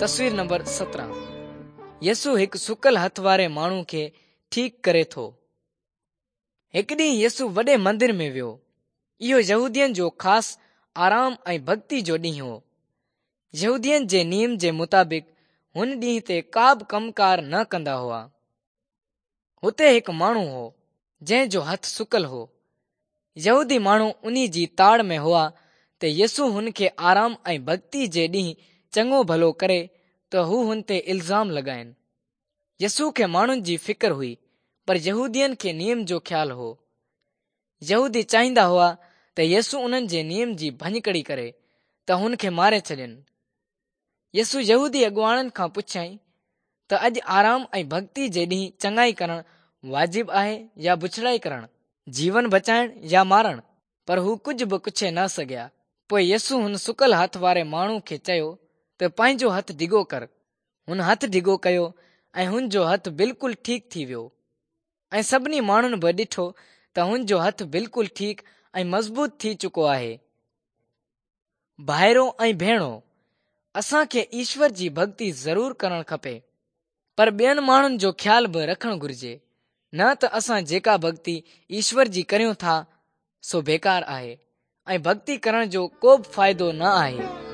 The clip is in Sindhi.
تصوير نمبر 17 يسوع هڪ سڪل هٿ واري ماڻهو کي ٺيڪ ڪري ٿو. هڪ ڏينهن يسوع وڏي مندر ۾ ويو. اهو يهودين جو خاص آرام ۽ ڀڳتي جو ڏينهن هو. يهودين جي نيم جي مطابق هن ڏينهن تي ڪا به ڪم ڪار نه ڪندا هئا. هتي هڪ ماڻهو هو، جنهن جو هٿ سڪل هو. يهودي ماڻهو انهي جي تاڙ ۾ هئا ته يسوع هن کي آرام ۽ ڀڳتي جي ڏينهن چڱو ڀلو ڪري ته هو هن تي الزام لڳائين. يسوع کي ماڻهن جي فڪر هئي پر يهودين کي نيم جو خيال هو. يهودي چاهيندا هئا ته يسوع انهن جي نيم جي ڀڃڪڙي ڪري ته هن کي ماري ڇڏين. يسوع يهودي اڳواڻن کان پڇيائين ته اڄ آرام ۽ ڀڳتي جي ڏينهن چڱائي ڪرڻ واجب آهي يا بڇڙائي ڪرڻ؟ جيون بچائڻ يا مارڻ؟ پر هو ڪجهه به ڪڇي نه سگهيا. پوء يسوع هن سڪل هٿ واري ماڻهو کي چيو ته پنهنجو هٿ ڊگهو ڪر. هن هٿ ڊگهو ڪيو ۽ هن جو هٿ بلڪل ٺيڪ ٿي ويو. ۽ سڀني ماڻهن به ڏٺو ته هن جو هٿ بلڪل ٺيڪ ۽ مضبوط ٿي چڪو آهي. ڀائرو ۽ ڀيڻو، اسان کي ايشور جي ڀڳتي ضرور ڪرڻ کپي، پر ٻين ماڻهن جو خيال به رکڻ گهرجي، نه ته اسان جيڪا ڀڳتي ايشور جي ڪريون ٿا، سو بيڪار آهي ۽ ڀڳتي ڪرڻ جو ڪو به فائدو نه آهي.